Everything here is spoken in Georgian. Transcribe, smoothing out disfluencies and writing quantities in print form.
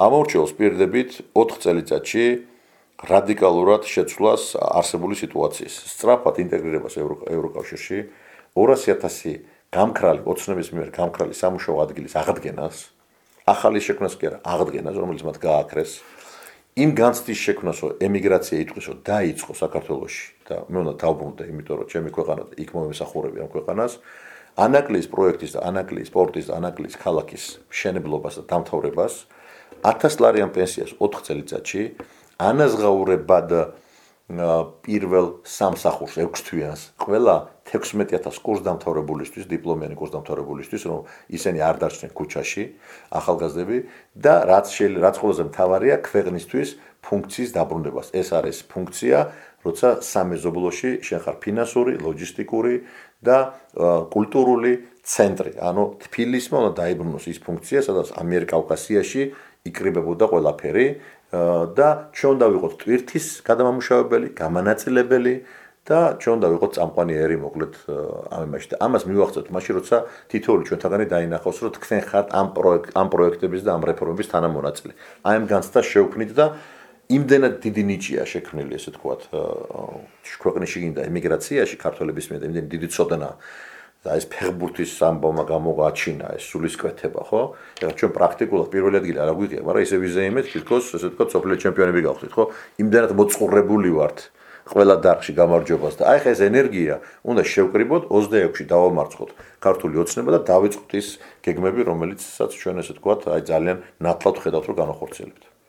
ამორჩეულს პირდებით 4 წელიწადში რადიკალურად შეცვლას არსებული სიტუაციის, სწრაფად ინტეგრირებას ევროკავშირში, 200,000 გამქრალი ოცნების მიერ გამქრალი სამუშაო ადგილის აღდგენას, ახალი შექმნას კი არა, აღდგენას, რომელიც მათ გააქრეს, იმ განცდის შექმნას, რომ ემიგრაცია იტყვისო, დაიწყო საქართველოში და მე უნდა დავბრუნდე, იმიტომ რომ ჩემი ქვეყანა იქ მომესახურები ამ ქვეყანას, ანაკლიის პროექტის და ანაკლიის სპორტის და ანაკლიის ქალაქის მშენებლობას და დამთავრებას, 1000 ლარიან პენსიას 4 წელიწადში, ანაზღაურებად პირველ სამსახურს 6 თვიანს, ყველა 16,000 კურსდამთავრებულისთვის, დიპლომიანი კურსდამთავრებულისთვის, რომ ისინი არ დარჩნენ ქუჩაში, ახალგაზრდები და რაც ყველაზე მთავარია, ქვეყნისთვის ფუნქციის დაბრუნებას. ეს არის ფუნქცია, როცა სამეზობლოში შენ ხარ ფინანსური, ლოჯისტიკური და კულტურული ცენტრი. ანუ თბილისმა უნდა დაიბრუნოს ის ფუნქცია, სადაც ამიერკავკასიაში იკრიბებოდა ყველაფერი და ჩვენ უნდა ვიყოთ ტვირთის გადამამუშავებელი, გამანაწილებელი და ჩვენ უნდა ვიყოთ წამყვანიერი მოკლედ ამ იმაში და ამას მივახცევთ მაშინ როცა თითოეული ჩვენთაგანი დაინახავს რომ თქვენ ხართ ამ პროექტების და ამ რეფორმების თანამონაწილე. აი ამ განცდას შევქმნით და იმდენად დიდი ნიჭია შექმნილი ესე თქვათ ქვეყნის შიგნით და ემიგრაციაში ქართველების მიერ იმდენი დიდი წოდნა და ეს ფეხბურთის ამბავმა გამოაჩინა ეს სულისკვეთება, ხო? ეხლა ჩვენ პრაქტიკულად პირველი ადგილი არ აგვიღია, მაგრამ ისე ვიზეიმეთ, თითქოს ესე თქვა სოფლიო ჩემპიონები გავხდით, ხო? იმდენად მოწყურებული ვართ ყველა დარგში გამარჯვებას და აი ხა ეს ენერგია უნდა შევკრიბოთ 26-ში დავამარცხოთ ქართული ოცნება და დავიწყოთ ის გეგმები, რომელიცაც ჩვენ ესე თქვა აი ძალიან ნათლად ხედავთ რომ განახორციელებთ.